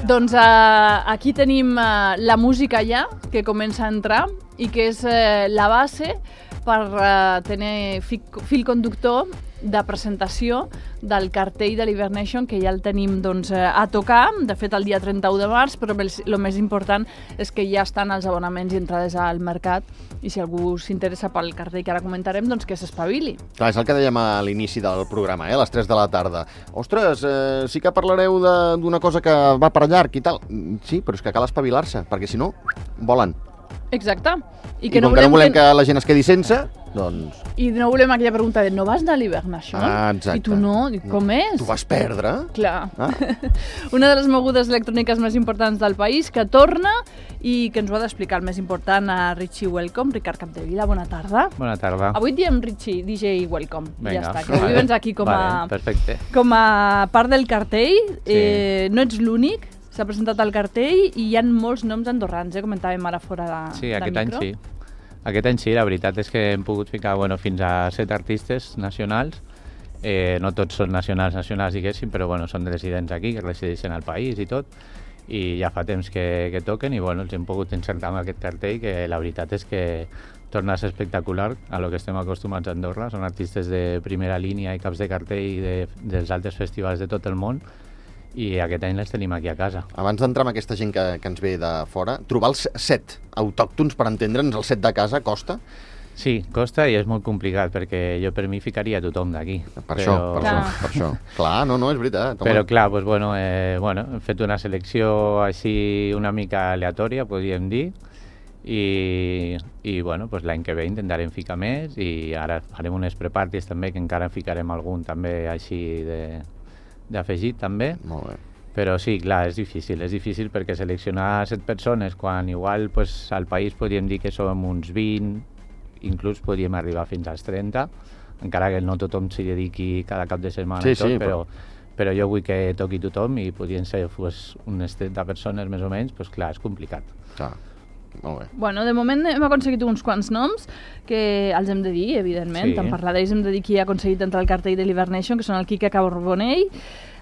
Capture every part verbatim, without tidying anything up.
Doncs uh, aquí tenim uh, la música ja, que comença a entrar i que és uh, la base per uh, tenir fi fil conductor de presentació del cartell de l'Hibernation, que ja el tenim doncs, a tocar, de fet el dia trenta-u de març, però el més important és que ja estan els abonaments i entrades al mercat, i si algú s'interessa pel cartell que ara comentarem, doncs que s'espavili. Clar, és el que dèiem a l'inici del programa, eh? A les tres de la tarda. Ostres, eh, sí que parlareu d'una cosa que va per llarg i tal. Sí, però és que cal espavilar-se, perquè si no, volen. Exacte. I, I no com volem que no volem que... que la gent es quedi sense, doncs... I no volem aquella pregunta de no vas anar a l'Hibernation? Ah, exacte. I tu no? I com és? Tu vas perdre? Clar. Ah. Una de les mogudes electròniques més importants del país, que torna i que ens ho ha d'explicar el més important a Richie Welcome. Ricard Capdevila, bona tarda. Bona tarda. Avui diem Richie, D J Welcome. Vinga. Ja està, que avui vens aquí com a, vale, perfecte. com a part del cartell. Sí. Eh, no ets l'únic. S'ha presentat el cartell i hi ha molts noms andorrans, eh? Comentàvem ara fora de, sí, de aquest micro. Any sí. Aquest any sí, la veritat és que hem pogut ficar bueno, fins a set artistes nacionals. Eh, no tots són nacionals, nacionals, diguéssim, però bueno, són residents aquí, que resideixen al país i tot. I ja fa temps que, que toquen i bueno, els hem pogut encertar amb aquest cartell, que la veritat és que torna a ser espectacular a lo que estem acostumats a Andorra. Són artistes de primera línia i caps de cartell de, dels altres festivals de tot el món. I aquest any les tenim aquí a casa. Abans d'entrar amb aquesta gent que, que ens ve de fora, trobar els set autòctons, per entendre'ns, el set de casa, costa? Sí, costa i és molt complicat, perquè jo per mi ficaria tothom d'aquí. Per però... això, per això, per això. Clar, no, no, és veritat. Home. Però clar, pues, bueno, eh, bueno, hem fet una selecció així una mica aleatòria, podríem dir, i, i bueno, pues, l'any que ve intentarem ficar més, i ara farem unes pre-parties també, que encara en ficarem algun també així de... d'afegit també. Molt bé. Però sí, clar, és difícil, és difícil perquè seleccionar set persones quan igual pues, al país podríem dir que som uns vint, inclús podríem arribar fins als trenta, encara que no tothom s'hi dediqui cada cap de setmana sí, i tot, sí, però, però jo vull que toqui tothom i podrien ser pues, unes trenta persones més o menys, pues, clar, és complicat. Clar. Molt bé. Bueno, de moment hem aconseguit uns quants noms que els hem de dir, evidentment. Sí. En parlar d'ells hem de dir qui ha aconseguit entrar al cartell de l'Hibernation, que són el Quique Carbonell,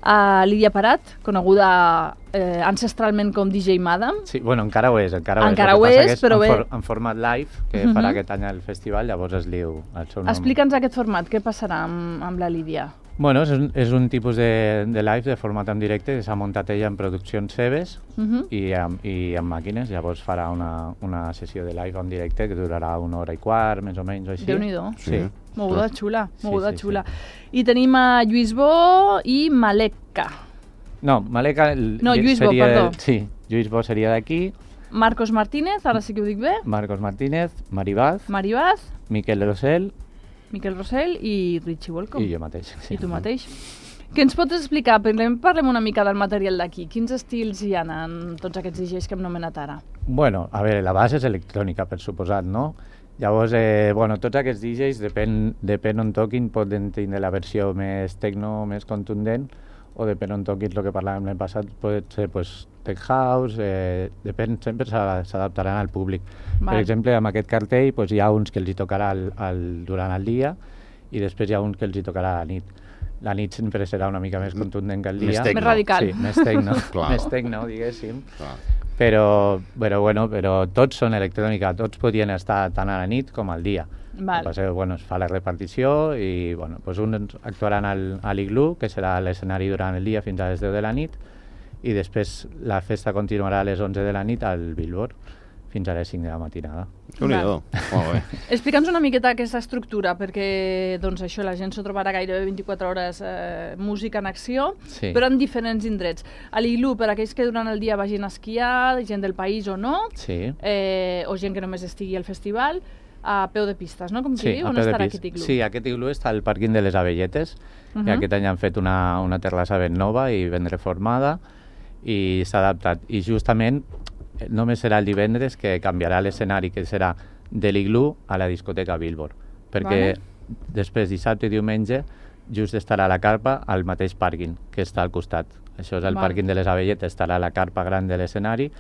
uh, Lídia Parat, coneguda eh, ancestralment com D J Madam. Sí, bueno, encara ho és, encara ho encara és. Ho és, és però en, bé... for, en format live, que uh -huh. farà aquest any al festival, llavors es diu el seu nom. Explica'ns aquest format, què passarà amb, amb la Lídia? Bueno, és un, és un tipus de, de live de format en directe que s'ha muntat ella en produccions seves uh -huh. i, amb, i amb màquines, llavors farà una, una sessió de live en directe que durarà una hora i quart, més o menys, o així. Déu-n'hi-do. Sí. Moguda xula, moguda sí, sí, xula. Sí. I tenim a Lluís Bo i Maleka. No, Maleka... No, Lluís Bo, seria, perdó. Sí, Lluís Bo seria d'aquí. Marcos Martínez, ara sí que ho dic bé. Marcos Martínez, Maribaz, Maribaz, Miquel Rosell, Miquel Rosell i Richie Welcome. i jo mateix. Sí. I tu mateix. Què ens pots explicar? Parlem, parlem una mica del material d'aquí. Quins estils hi ha en tots aquests D Js que hem nomenat ara? Bueno, a veure, la base és electrònica, per suposat, no? Llavors, eh, bueno, tots aquests D Js, depèn, depèn on toquin, poden tenir la versió més techno, més contundent, o depèn on toquin, el que parlàvem l'any passat, pot ser pues, tech house, eh, depèn, sempre s'adaptaran al públic. Val. Per exemple, amb aquest cartell pues, hi ha uns que els hi tocarà el, el, durant el dia i després hi ha uns que els hi tocarà a la nit. La nit sempre serà una mica més contundent que el dia. Més tecno. Més radical. Sí, més tecno, Clar. més tecno, diguéssim. Clar. Però, però, bueno, però tots són electrònica, tots podien estar tant a la nit com al dia. Val. El que passa és que bueno, es fa la repartició i bueno, doncs uns actuaran al, a l'Iglú, que serà l'escenari durant el dia fins a les deu de la nit, i després la festa continuarà a les onze de la nit al Billboard fins a les cinc de la matinada. Déu-n'hi-do. Molt bé. Explica'ns una miqueta aquesta estructura, perquè doncs, això, la gent s'ho trobarà gairebé vint-i-quatre hores eh, música en acció, Sí. però en diferents indrets. A l'Iglú, per aquells que durant el dia vagin a esquiar, gent del país o no, Sí. eh, o gent que només estigui al festival, a peu de pistes, no? Com Sí, qui diu, a on peu de estarà pis. aquest iglú? Sí, aquest iglú està al pàrquing de les Abelletes, uh Mhm. -huh. i aquest any han fet una, una terrassa ben nova i ben reformada i s'ha adaptat. I justament eh, només serà el divendres que canviarà l'escenari, que serà de l'iglú a la discoteca Billboard, perquè Vale. després dissabte i diumenge just estarà la carpa al mateix pàrquing que està al costat. Això és el Vale. pàrquing de les Abelletes, estarà la carpa gran de l'escenari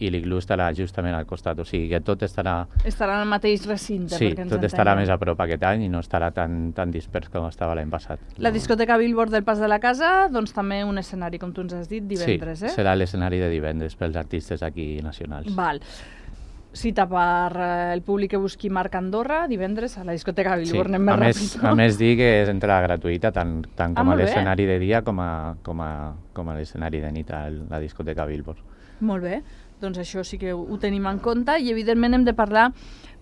i l'Iglú estarà justament al costat, o sigui que tot estarà... Estarà en el mateix recinte, sí, perquè ens tot entenguem. estarà més a prop aquest any i no estarà tan, tan dispers com estava l'any passat. La discoteca Billboard del Pas de la Casa, doncs també un escenari, com tu ens has dit, divendres, sí, eh? Sí, serà l'escenari de divendres pels artistes aquí nacionals. Val. Cita per eh, el públic que busqui Marc Andorra, divendres a la discoteca Billboard. Sí. Anem més a, més, ràpid, no? a més dir que és entrada gratuïta tant, tant Ah, com a molt bé. l'escenari de dia com a, com a, com a l'escenari de nit a la discoteca Billboard. Molt bé, doncs això sí que ho, ho tenim en compte i evidentment hem de parlar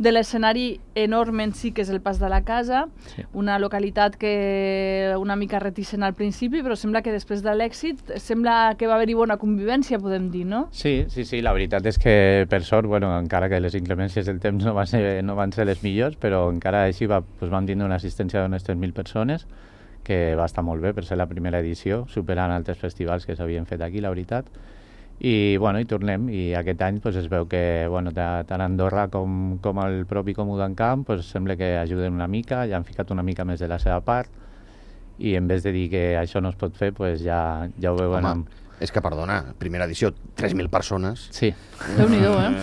de l'escenari enorme en si que és el Pas de la Casa, Sí. una localitat que una mica reticent al principi, però sembla que després de l'èxit sembla que va haver-hi bona convivència, podem dir, no? Sí, sí, sí, la veritat és que per sort, bueno, encara que les inclemències del temps no van ser, no van ser les millors, però encara així va, doncs vam tindre una assistència d'unes tres mil persones, que va estar molt bé per ser la primera edició, superant altres festivals que s'havien fet aquí, la veritat. I, bueno, i tornem, i aquest any pues, es veu que bueno, tant Andorra com, com el propi Comú d'Encamp pues, sembla que ajuden una mica, ja han ficat una mica més de la seva part, i en vez de dir que això no es pot fer, pues, ja, ja ho veuen Home, amb... és que, perdona, primera edició, tres mil persones. Sí. Déu-n'hi-do, eh?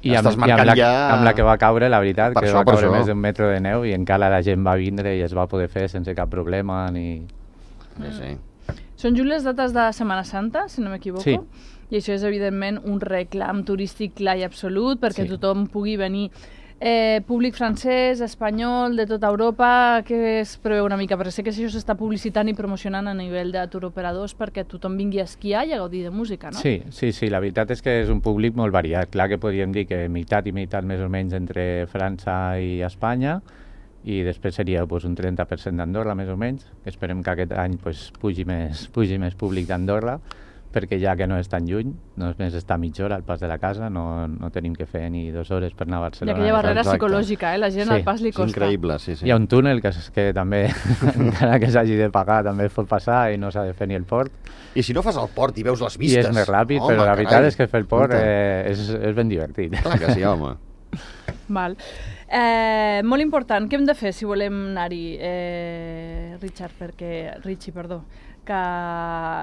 I amb, Estàs i amb, marcant la, ja... amb la que va caure, la veritat, Per que això, va per caure això. més d'un metre de neu i encara la gent va vindre i es va poder fer sense cap problema ni... Sí, sí. Són just les dates de Setmana Santa, si no m'equivoco, Sí. i això és evidentment un reclam turístic clar i absolut perquè Sí. tothom pugui venir. Eh, públic francès, espanyol, de tota Europa, què es preveu una mica? Perquè sé que això s'està publicitant i promocionant a nivell de tour operadors perquè tothom vingui a esquiar i a gaudir de música, no? Sí, sí, sí, la veritat és que és un públic molt variat. Clar que podríem dir que meitat i meitat més o menys entre França i Espanya, i després seria pues, un trenta per cent d'Andorra, més o menys. Esperem que aquest any pues, pugi, més, pugi més públic d'Andorra, perquè ja que no és tan lluny, només està a mitja hora al Pas de la Casa, no, no tenim que fer ni dues hores per anar a Hi ha Barcelona. aquella barrera Exacte. psicològica, eh? La gent Sí, al pas li És costa. increïble, sí, sí. Hi ha un túnel que, que també, encara que s'hagi de pagar, també es pot passar i no s'ha de fer ni el port. I si no fas el port i veus les I vistes... és més ràpid, home, però la veritat carai, és que fer el port escolta. eh, és, és ben divertit. Clar que sí, home. Val. Eh, molt important, què hem de fer si volem anar-hi, eh, Richard, perquè... Richie, perdó, que,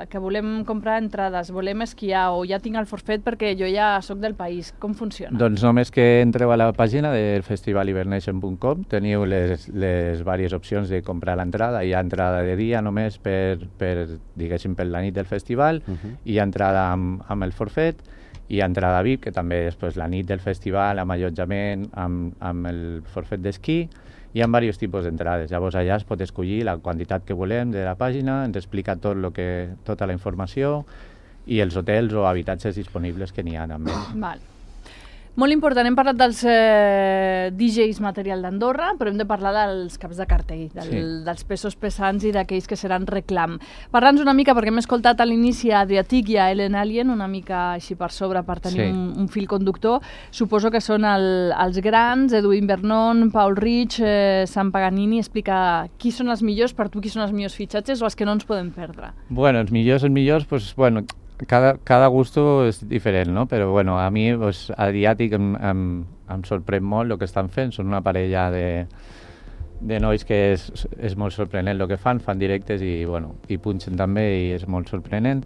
que volem comprar entrades, volem esquiar o ja tinc el forfet perquè jo ja sóc del país. Com funciona? Doncs només que entreu a la pàgina del festival hibernation punt com teniu les, les diverses opcions de comprar l'entrada. Hi ha entrada de dia només per, per diguéssim, per la nit del festival, Uh -huh. hi ha entrada amb, amb el forfet, hi ha entrada V I P, que també és pues, la nit del festival, amb allotjament, amb, amb el forfet d'esquí. Hi ha diversos tipus d'entrades. Llavors allà es pot escollir la quantitat que volem de la pàgina, ens explica tot lo que, tota la informació i els hotels o habitatges disponibles que n'hi ha també. Val. Molt important, hem parlat dels eh, D Js material d'Andorra, però hem de parlar dels caps de cartell, del, Sí. dels pesos pesants i d'aquells que seran reclam. Parla'ns una mica, perquè hem escoltat a l'inici a Adriatic i a Ellen Alien, una mica així per sobre per tenir Sí. un, un fil conductor. Suposo que són el, els grans, Edwin Vernon, Paul Rich, eh, Sam Paganini. Explica qui són els millors, per tu qui són els millors fitxatges o els que no ens podem perdre. Bueno, els millors, els millors, pues, bueno, cada, cada gusto és diferent, no? Però bueno, a mi, pues, Adriàtic em, em, em sorprèn molt el que estan fent. Són una parella de, de nois que és, és molt sorprenent el que fan, fan directes i, bueno, i punxen també i és molt sorprenent.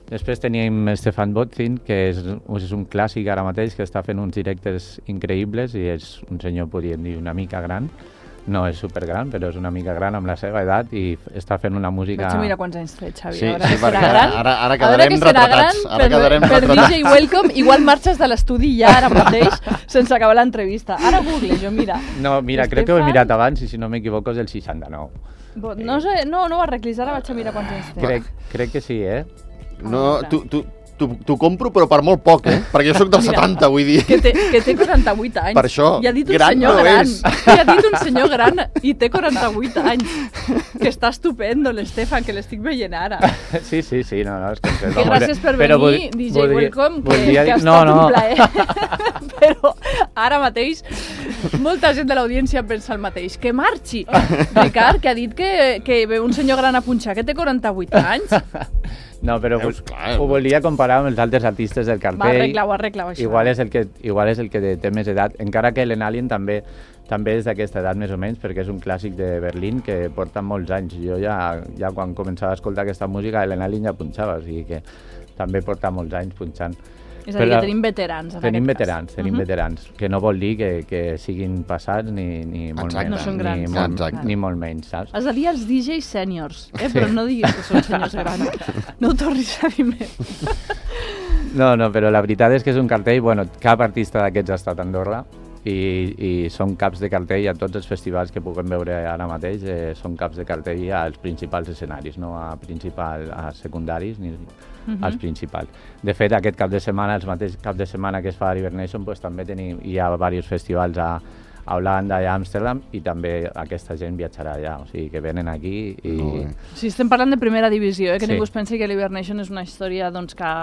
Després tenim Stefan Botzin, que és, és un clàssic ara mateix, que està fent uns directes increïbles i és un senyor, podríem dir, una mica gran. No és supergran, però és una mica gran amb la seva edat i f- està fent una música... Vaig a mirar quants anys té, Xavi. Sí, a veure sí, que serà perquè ara- gran. ara- ara A veure quedarem que serà retratats, gran ara per, quedarem per retratats. D J Welcome. Igual marxes de l'estudi ja ara mateix, sense acabar l'entrevista. Ara Google, jo mira. No, mira, crec que ho he Stefan- mirat abans i si no m'equivoco és el seixanta-nou. Bo- No, sé, no, no ho arreglis, ara vaig a mirar quants anys té. Crec, crec que sí, eh? No, tu, tu, tu, tu compro, però per molt poc, eh? Perquè jo sóc del Mira, setanta, vull dir. Que té, que té quaranta-vuit anys. Per això, I ha dit un gran senyor no gran. és. I ha dit un senyor gran i té quaranta-vuit anys. Que està estupendo, l'Estefan, que l'estic veient ara. Sí, sí, sí, no, no, és que... Que gràcies per Però venir, vol- D J voldria- Welcome, que, voldria que ha dir- estat no, no. un plaer. Però ara mateix molta gent de l'audiència pensa el mateix. Que marxi! Ricard, que ha dit que, que ve un senyor gran a punxar, que té quaranta-vuit anys. No, però Veus, vol- clar. ho volia comparar amb els altres artistes del Va, cartell. arregla-ho, arregla-ho, això. Igual és el que, igual és el que té més edat, encara que l'Enalien també també és d'aquesta edat més o menys, perquè és un clàssic de Berlín que porta molts anys. Jo ja, ja quan començava a escoltar aquesta música, l'Enalien ja punxava, o sigui que també porta molts anys punxant. És a dir, que tenim veterans, en tenim aquest veterans, cas. Tenim uh-huh. veterans, que no vol dir que, que siguin passats ni, ni molt Exacte. menys. No són grans. Ni molt, Exacte. ni molt menys, saps? Has de dir els D Js sèniors, eh? Però no diguis que són senyors grans. No ho tornis a dir més. No, no, però la veritat és que és un cartell, bueno, cap artista d'aquests ha estat a Andorra i, i són caps de cartell a tots els festivals que puguem veure ara mateix, eh, són caps de cartell als principals escenaris, no a, principal, a secundaris ni uh-huh. als principals. De fet, aquest cap de setmana, els mateix cap de setmana que es fa a Hibernation, pues, també tenim, hi ha diversos festivals a, a Holanda i a Amsterdam i també aquesta gent viatjarà allà, o sigui que venen aquí i... Sí, estem parlant de primera divisió, eh? que Sí. ningú es pensi que l'Hibernation és una història doncs, que,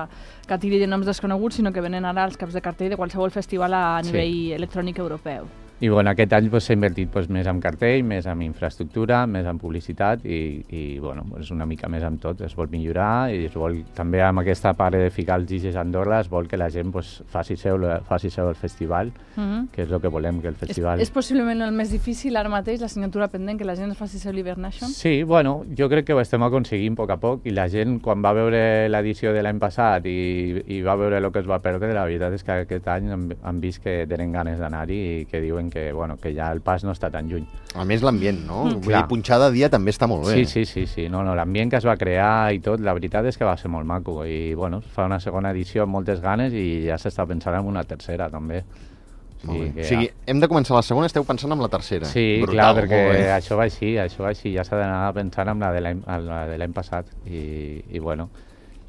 que tiri de noms desconeguts, sinó que venen ara els caps de cartell de qualsevol festival a nivell Sí. electrònic europeu. I bueno, aquest any pues, s'ha invertit pues, més en cartell, més en infraestructura, més en publicitat i, i bueno, pues, una mica més en tot. Es vol millorar i es vol, també amb aquesta part de ficar els D Js a Andorra es vol que la gent pues, faci, seu, faci seu el festival, Uh-huh. que és el que volem, que el festival... És, és possiblement el més difícil ara mateix, l'assignatura pendent, que la gent es faci seu l'Hibernation? Sí, bueno, jo crec que ho estem aconseguint a poc a poc i la gent, quan va veure l'edició de l'any passat i, i va veure el que es va perdre, la veritat és que aquest any han, han vist que tenen ganes d'anar-hi i que diuen que, bueno, que ja el pas no està tan lluny. A més, l'ambient, no? Mm. Vull dir, punxar de dia també està molt bé. Sí, sí, sí, sí. No, no, l'ambient que es va crear i tot, la veritat és que va ser molt maco i, bueno, es fa una segona edició amb moltes ganes i ja s'està pensant en una tercera, també. O Molt bé. que, O sigui, hem de començar la segona, esteu pensant en la tercera. Sí, Brutal, clar, perquè molt bé. això va així, això va així, ja s'ha d'anar pensant en la de l'any en la de l'any passat i, i bueno,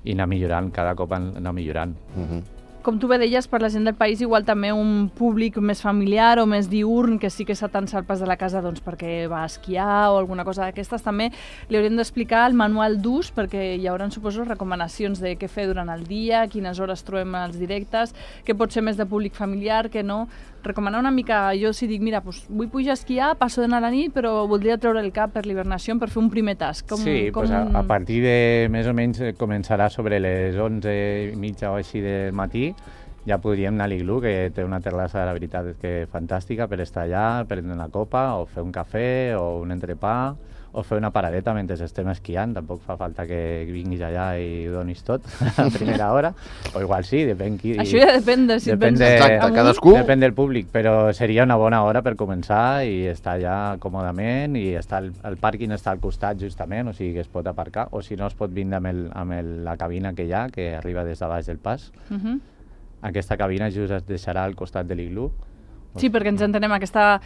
i anar millorant, cada cop anar millorant. Uh-huh. Com tu bé deies, per la gent del país, igual també un públic més familiar o més diurn, que sí que s'atansa al pas de la casa doncs, perquè va a esquiar o alguna cosa d'aquestes, també li haurem d'explicar el manual d'ús, perquè hi haurà, suposo, recomanacions de què fer durant el dia, quines hores trobem els directes, què pot ser més de públic familiar, què no. Recomanar una mica, jo si dic, mira, doncs vull pujar a esquiar, passo d'anar a la nit, però voldria treure el cap per l'Hibernation per fer un primer task. Com, sí, com... Pues a, a partir de més o menys eh, començarà sobre les onze i mitja o així del matí, ja podríem anar a l'Iglú, que té una terrassa, la veritat és que fantàstica, per estar allà, prendre una copa, o fer un cafè, o un entrepà, o fer una paradeta mentre estem esquiant. Tampoc fa falta que vinguis allà i ho donis tot a primera hora, o igual sí, depèn qui... Això ja depèn de si depèn et vens de, Exacte, amunt. cadascú... Depèn del públic, però seria una bona hora per començar i estar allà còmodament i està el, el pàrquing està al costat justament, o sigui que es pot aparcar, o si no es pot vindre amb, el, amb el, la cabina que hi ha, que arriba des de baix del pas. Uh -huh. Aquesta cabina just es deixarà al costat de l'iglú. Sí, perquè ens entenem, aquesta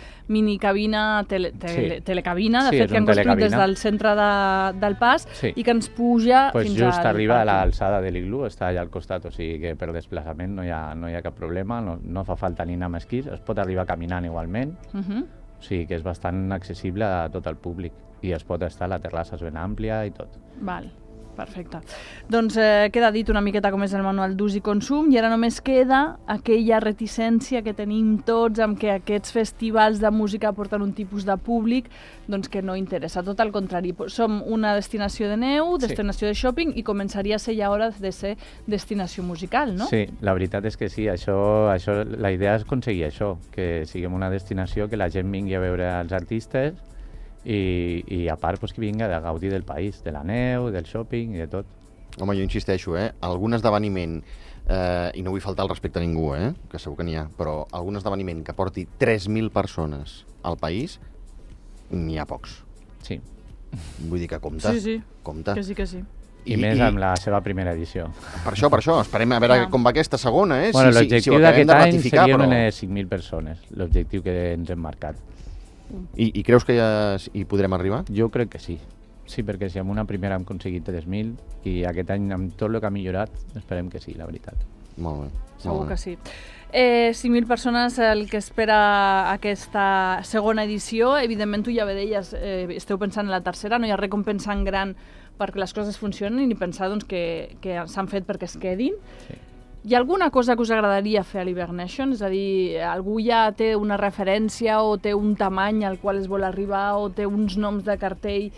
minicabina, tele, tele, Sí. telecabina, de Sí, fet, és que han un construït des telecabina. del centre de, del pas Sí. i que ens puja Pues fins just al arriba a pàrquing. l'alçada de l'iglú, està allà al costat, o sigui que per desplaçament no hi ha, no hi ha cap problema, no, no fa falta ni anar amb esquís, es pot arribar caminant igualment, Uh -huh. o sigui que és bastant accessible a tot el públic i es pot estar, la terrassa és ben àmplia i tot. Val, perfecte. Doncs eh, queda dit una miqueta com és el manual d'ús i consum i ara només queda aquella reticència que tenim tots amb que aquests festivals de música porten un tipus de públic doncs que no interessa, tot al contrari. Som una destinació de neu, Sí. destinació de shopping i començaria a ser ja hora de ser destinació musical, no? Sí, la veritat és que sí, això, això, la idea és aconseguir això, que siguem una destinació, que la gent vingui a veure els artistes i, i a part pues, que vinga de gaudir del país, de la neu, del shopping i de tot. Home, jo insisteixo, eh? Algun esdeveniment, eh, i no vull faltar el respecte a ningú, eh? Que segur que n'hi ha, però algun esdeveniment que porti tres mil persones al país, n'hi ha pocs. Sí, Vull dir que compta, Sí, sí, compta. que sí, que sí. i, I més amb la seva primera edició. Per això, per això, esperem a veure Clar. com va aquesta segona, eh? Bueno, si, si, si l'objectiu ho acabem d'aquest de any ratificar, serien però... unes cinc mil persones, l'objectiu que ens hem marcat. I, I creus que ja hi podrem arribar? Jo crec que sí. Sí, perquè si amb una primera hem aconseguit tres mil i aquest any amb tot el que ha millorat, esperem que sí, la veritat. Molt bé. Segur molt bé. que sí. Eh, cinc mil persones el que espera aquesta segona edició. Evidentment, tu ja bé deies, eh, esteu pensant en la tercera, no hi ha res com pensar en gran perquè les coses funcionin i pensar doncs, que, que s'han fet perquè es quedin. Sí. Hi ha alguna cosa que us agradaria fer a l'Hibernation? És a dir, algú ja té una referència o té un tamany al qual es vol arribar o té uns noms de cartell?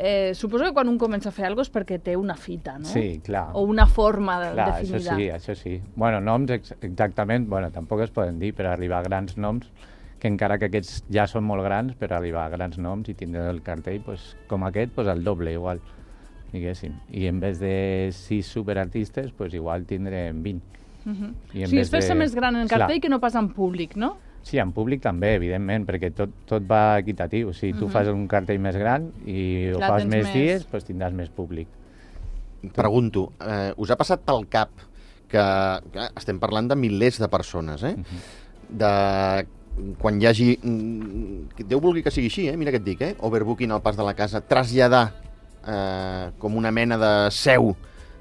Eh, suposo que quan un comença a fer alguna cosa és perquè té una fita, no? Sí, clar. O una forma de, Clar, definida. això sí, això sí. Bueno, noms ex exactament, bueno, tampoc es poden dir, però arribar a grans noms, que encara que aquests ja són molt grans, però arribar a grans noms i tindre el cartell, pues, com aquest, pues, el doble igual, diguéssim. I en vez de sis superartistes, pues, igual tindrem vint. Uh -huh. I en sí, vez és fer-se de- més gran en Clar. cartell que no pas en públic, no? Sí, en públic també, evidentment, perquè tot, tot va equitatiu. Si tu Mhm. fas un cartell més gran i ho Clar, fas tens més més- dies, doncs tindràs més públic. Pregunto, eh, us ha passat pel cap que, que estem parlant de milers de persones, eh? De quan hi hagi... mm, que Déu vulgui que sigui així, eh? Mira què et dic, eh? Overbooking al pas de la casa, traslladar eh, com una mena de seu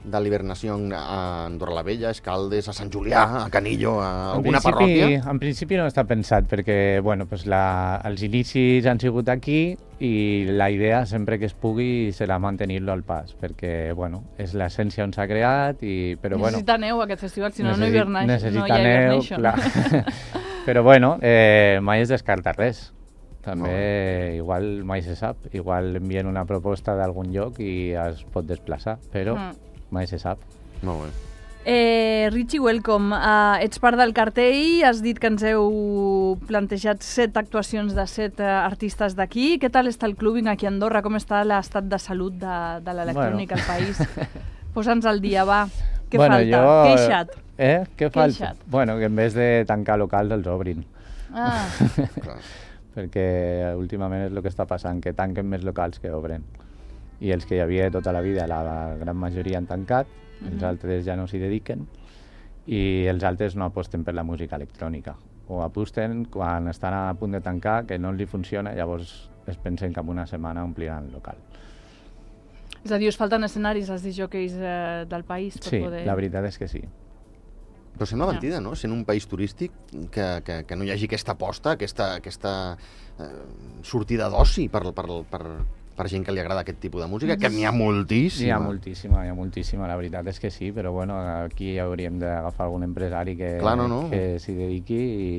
de l'hibernació a Andorra la Vella, a Escaldes, a Sant Julià, a Canillo, a alguna en principi, parròquia? En principi no està pensat perquè bueno, pues la, els inicis han sigut aquí i la idea sempre que es pugui serà mantenir-lo al pas perquè bueno, és l'essència on s'ha creat i, però bueno, Necessita neu aquest festival, si no, no, necessi- hibernation, no necessita hi ha neu, hibernation. clar. Però bueno, eh, mai es descarta res. També, Molt igual mai se sap. Igual envien una proposta d'algun lloc i es pot desplaçar, però Mm. mai se sap. Molt bé. Eh, Richie, welcome. Uh, ets part del cartell, has dit que ens heu plantejat set actuacions de set uh, artistes d'aquí. Què tal està el clubbing aquí a Andorra? Com està l'estat de salut de, de l'electrònica Bueno. al país? Posa'ns al dia, va. Què bueno, falta? Jo... Queixa't. Eh? Què falta? Queixa't. Bueno, que en vez de tancar locals els obrin. Ah, Clar. Perquè últimament és el que està passant, que tanquen més locals que obren. I els que hi havia tota la vida, la gran majoria han tancat, els altres ja no s'hi dediquen, i els altres no aposten per la música electrònica. O aposten quan estan a punt de tancar, que no els hi funciona, llavors es pensen que en una setmana ompliran el local. és a dir, us falten escenaris als disjòqueis eh, del país per Sí, poder... la veritat és que sí. Però sembla Ja. mentida, no? Sent un país turístic, que, que, que no hi hagi aquesta aposta, aquesta, aquesta eh, sortida d'oci per, per, per, per gent que li agrada aquest tipus de música, que n'hi ha moltíssima. Hi ha moltíssima, hi ha moltíssima, la veritat és que sí, però bueno, aquí hauríem d'agafar algun empresari que, Clar, no, no. que s'hi dediqui i,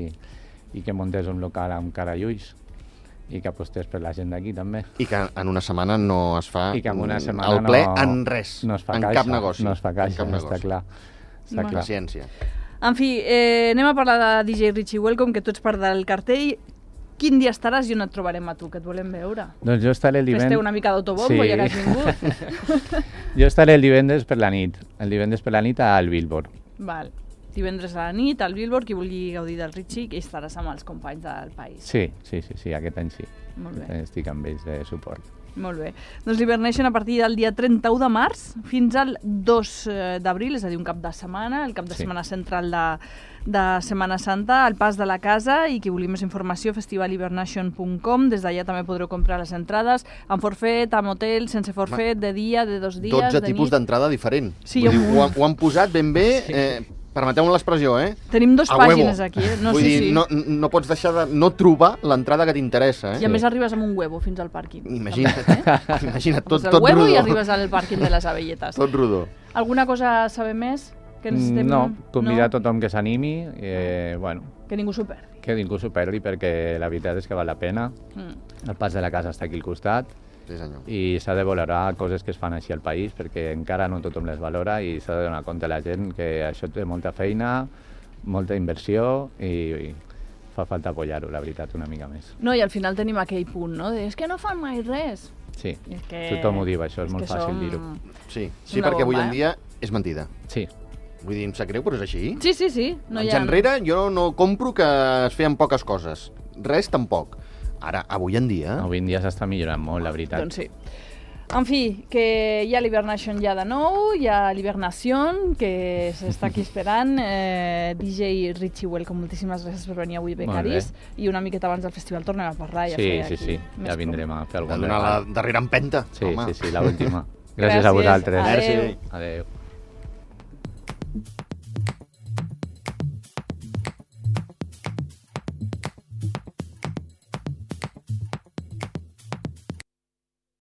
i que muntés un local amb cara i ulls i que apostés per la gent d'aquí també. I que en una setmana no es fa I que en una setmana el ple no, en res, no es fa en caixa, cap negoci. no es fa en caixa, cap està negoci. clar. Està Bueno. clar. Paciència. En fi, eh, anem a parlar de D J Richie Welcome, que tu ets part del cartell. Quin dia estaràs i on et trobarem a tu, que et volem veure? Doncs jo estaré el Fes-te divendres... una mica d'autobombo, Sí. ja que has vingut. Jo estaré el divendres per la nit, el divendres per la nit al Billboard. Val. Divendres a la nit, al Billboard, qui vulgui gaudir del Richie, que estaràs amb els companys del país. Sí, sí, sí, sí, aquest any sí. Molt Aquest bé. any estic amb ells de suport. Molt bé. Doncs l'Hibernation a partir del dia trenta-u de març fins al dos d'abril, és a dir, un cap de setmana, el cap de Sí. setmana central de, de Setmana Santa, al Pas de la Casa, i qui vulgui més informació, festival hibernation punt com. Des d'allà també podreu comprar les entrades amb forfet, amb hotel, sense forfet, de dia, de dos dies, dotze de tipus nit. d'entrada diferent. Sí, Vull hi ha dir, un ho, munt. han- ho han posat ben bé, eh, permeteu-me l'expressió, eh? Tenim dos A huevo. pàgines aquí, eh? No, Vull sí, dir, sí. no, no pots deixar de no trobar l'entrada que t'interessa, eh? I a més arribes amb un huevo fins al pàrquing. Imagina't, També, eh? imagina't, tot, Poses el tot huevo rodó. i arribes al pàrquing de les Abelletes. Tot rodó. Alguna cosa a saber més? Que necessitem... No, convidar no? tothom que s'animi, eh, bueno, Que ningú s'ho perdi. que ningú s'ho perdi perquè la veritat és que val la pena. Mm. El Pas de la Casa està aquí al costat Sí, senyor. i s'ha de valorar coses que es fan així al país perquè encara no tothom les valora i s'ha de donar compte a la gent que això té molta feina, molta inversió i, i fa falta apoyar-ho, la veritat, una mica més. No, i al final tenim aquell punt, no? De, és que no fan mai res. Sí, I és que... tothom ho diu, això, és és molt que fàcil som- dir-ho. Sí, sí Una perquè avui bomba, en eh? dia és mentida. Sí, Vull dir, em sap greu, però és així. Sí, sí, sí. No hi Anys ha... enrere jo no compro que es feien poques coses. Res tampoc. Ara, avui en dia... avui en dia s'està millorant molt, la veritat. Doncs sí. En fi, que hi ha l'Hibernation ja de nou, hi ha l'Hibernación, que s'està aquí esperant. Eh, D J Richie Welcome, moltíssimes gràcies per venir avui, Molt Becaris. I una miqueta abans del festival tornem a parlar i a Sí, fer sí, aquí sí, més ja vindrem a fer De algun donar la regal. darrera empenta. Sí, home. sí, sí, l'última. Gràcies a Gràcies. vosaltres. Adéu. Merci. Adéu.